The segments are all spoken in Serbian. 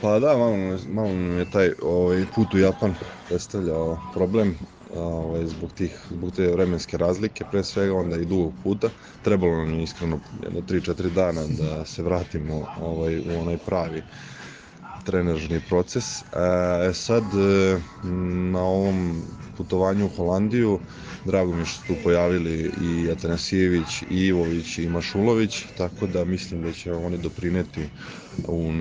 Pa da, malo nam je taj put u Japan predstavljao problem, zbog te vremenske razlike, pre svega, onda i dugog puta. Trebalo nam je iskreno jedno 3-4 dana da se vratimo u onaj pravi trenažni proces. Sad, na ovom putovanju u Holandiju, drago mi je što su tu pojavili i Atanasijević, i Ivović, i Mašulović, tako da mislim da će oni doprineti u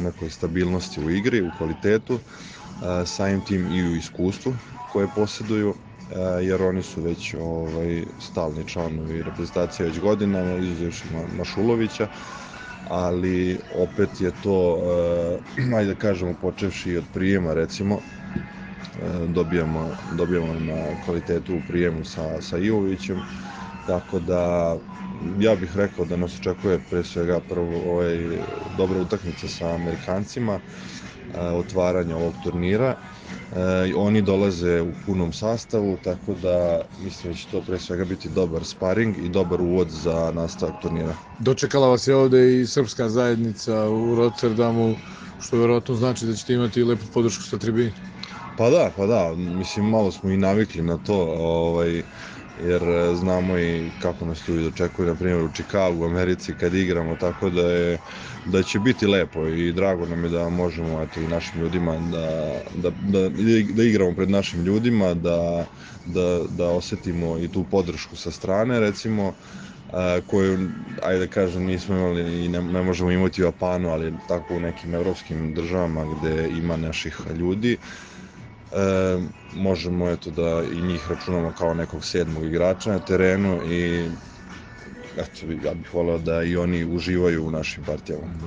nekoj stabilnosti u igri, u kvalitetu, samim tim i u iskustvu koje posjeduju, jer oni su već stalni članovi reprezentacije već godinama, izuzevši Mašulovića, ali opet je to, ajde da kažemo, počevši od prijema, recimo, dobijamo na kvalitetu u prijemu sa Ivovićem, tako da ja bih rekao da nas očekuje pre svega prvo dobra utakmica sa Amerikancima, otvaranje ovog turnira. Oni dolaze u punom sastavu, tako da mislim da će to pre svega biti dobar sparing i dobar uvod za nastavak turnira. Dočekala vas je ovde i srpska zajednica u Rotterdamu, što verovatno znači da ćete imati lepu podršku sa tribini. Pa da, mislim, malo smo i navikli na to, jer znamo i kako nas tu dočekuju, na primjer u Čikagu, u Americi, kad igramo, tako da će biti lepo i drago nam je da možemo i našim ljudima da igramo pred našim ljudima, da osetimo i tu podršku sa strane, recimo, koju, ajde da kažem, nismo imali i ne možemo imati u Japanu, ali tako u nekim evropskim državama gde ima naših ljudi. Možemo da i njih računamo kao nekog 7. igrača na terenu i ja bih voleo da i oni uživaju u našim partijama.